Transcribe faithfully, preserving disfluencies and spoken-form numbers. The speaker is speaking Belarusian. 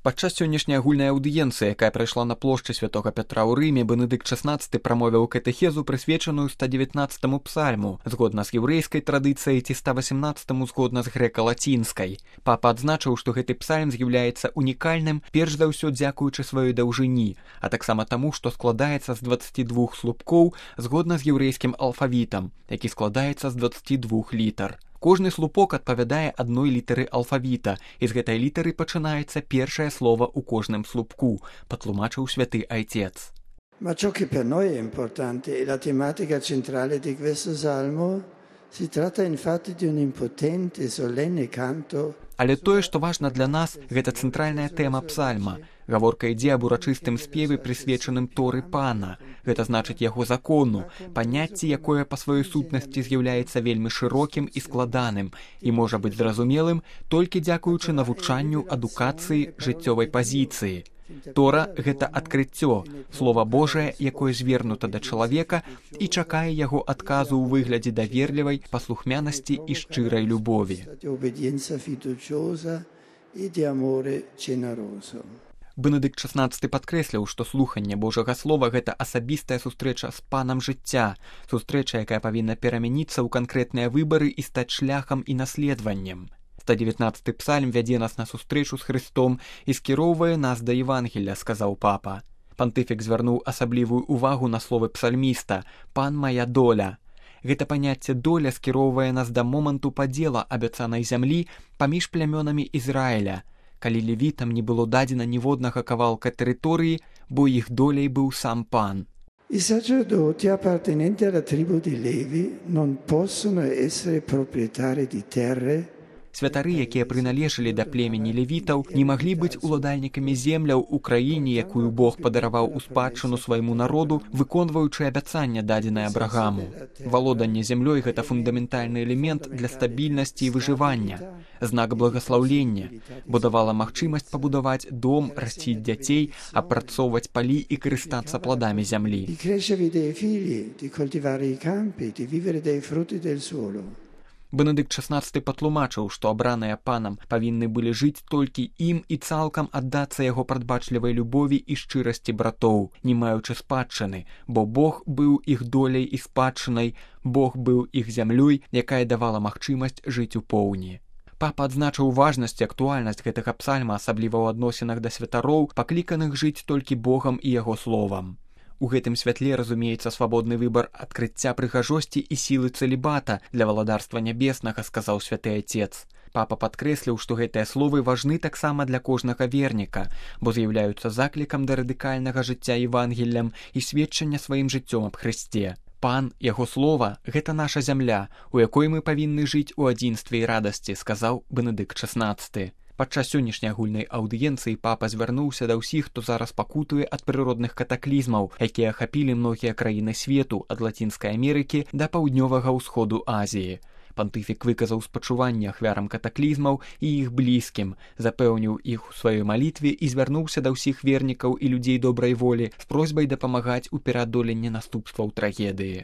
Падчас сённяшняй агульнай аўдыенцыі, якая прайшла на плошчы святога Пятра ў Рыме, Бенедыкт шаснаццаты прамовіў катэхезу, прысвечаную ста дзевятнаццатаму псальму, згодна з яўрэйскай традыцыяй, ці ста васямнаццатаму згодна з грэка-лацінскай. Папа адзначыў, што гэты псальм з'яўляецца унікальным, перш за ўсё дзякуючы сваёй даўжыні, а таксама таму, што складаецца з дваццаці двух слупкоў згодна з яўрэйскім алфавітам, які складаецца з дваццаці двух літар. Кожны слупок адпавядае адной літары алфавіта, і з гэтай літары пачынаецца першае слова ў кожным слупку, патлумачыў святы айцец. Ma ciò che per noi è importante è la tematica centrale di questo salmo. Si tratta infatti di un impotente, solenne canto. Але тое, што важна для нас, гэта цэнтральная тэма псальма. Гаворка ідзе аб урачыстым спеве, прысвечаным Торы Пана. Гэта значыць яго закону, паняцце, якое па сваёй сутнасці з'яўляецца вельмі шырокім і складаным і можа быць зразумелым толькі дзякуючы навучанню, адукацыі, жыццёвай пазіцыі. Тора – гэта адкрыццё, Слова Божае, якое звернута да чалавека і чакае яго адказу ў выглядзе даверлівай паслухмянасці і шчырай любові. Бенедыкт шаснаццаты падкрэсліў, што слуханне Божага Слова – гэта асабістая сустрэча з Панам жыцця, сустрэча, якая павінна перамяніцца ў канкрэтныя выбары і стаць шляхам і наследаваннем. ста дзевятнаццаты псальм вядзе нас на сустрэчу з Христом і скіроўвае нас да Евангелля, сказаў папа. Пантыфік звярнуў асаблівую ўвагу на словы псальміста «Пан мая доля». Гэта паняцце доля скіроўвае нас да моманту падзела абяцанай зямлі паміж плямёнамі Ізраіля, калі левітам не было дадзена ніводнага кавалка тэрыторыі, бо іх доляй быў сам Пан. I sacerdoti appartenenti alla tribù di Levi non possono essere proprietari di terre. Святары, якія прыналежалі да племені левітаў, не маглі быць уладальнікамі земляў у краіне, якую Бог падараваў у спадчыну свайму народу, выконваючы абяцанне, дадзенае Абрагаму. Валоданне зямлёй – гэта фундаментальны элемент для стабільнасці і выжывання, знак благаслаўлення, бо давала магчымасць пабудаваць дом, расціць дзяцей, апрацоўваць палі і карыстацца пладамі зямлі. Бенедыкт шаснаццаты патлумачыў, што абраныя Панам павінны былі жыць толькі ім і цалкам аддацца яго прадбачлівай любові і шчырасці братоў, не маючы спадчыны, бо Бог быў іх доляй і спадчынай, Бог быў іх зямлёй, якая давала магчымасць жыць у поўні. Папа адзначыў важнасць і актуальнасць гэтага псальма, асабліва ў адносінах да святароў, пакліканых жыць толькі Богам і яго словам. У гэтым святле разумеецца свабодны выбар адкрыцця прыгажосці і сілы цэлібата для валадарства нябеснага, сказаў святы айцец. Папа падкрэсліў, што гэтыя словы важны таксама для кожнага верніка, бо з'яўляюцца заклікам да радыкальнага жыцця Евангеллем і сведчання сваім жыццём аб Хрысце. Пан, яго слова – гэта наша зямля, у якой мы павінны жыць у адзінстве і радасці, сказаў Бенедыкт шаснаццаты. Падчас сённяшняй агульнай аўдыенцыі папа звярнуўся да ўсіх, хто зараз пакутуе ад прыродных катаклізмаў, якія ахапілі многія краіны свету, ад Лацінскай Амерыкі да паўднёвага ўсходу Азіі. Пантыфік выказаў спачуванне ахвярам катаклізмаў і іх блізкім, запэўніў іх у сваёй малітве і звярнуўся да ўсіх вернікаў і людзей добрай волі з просьбай дапамагаць у пераадоленні наступстваў трагедыі.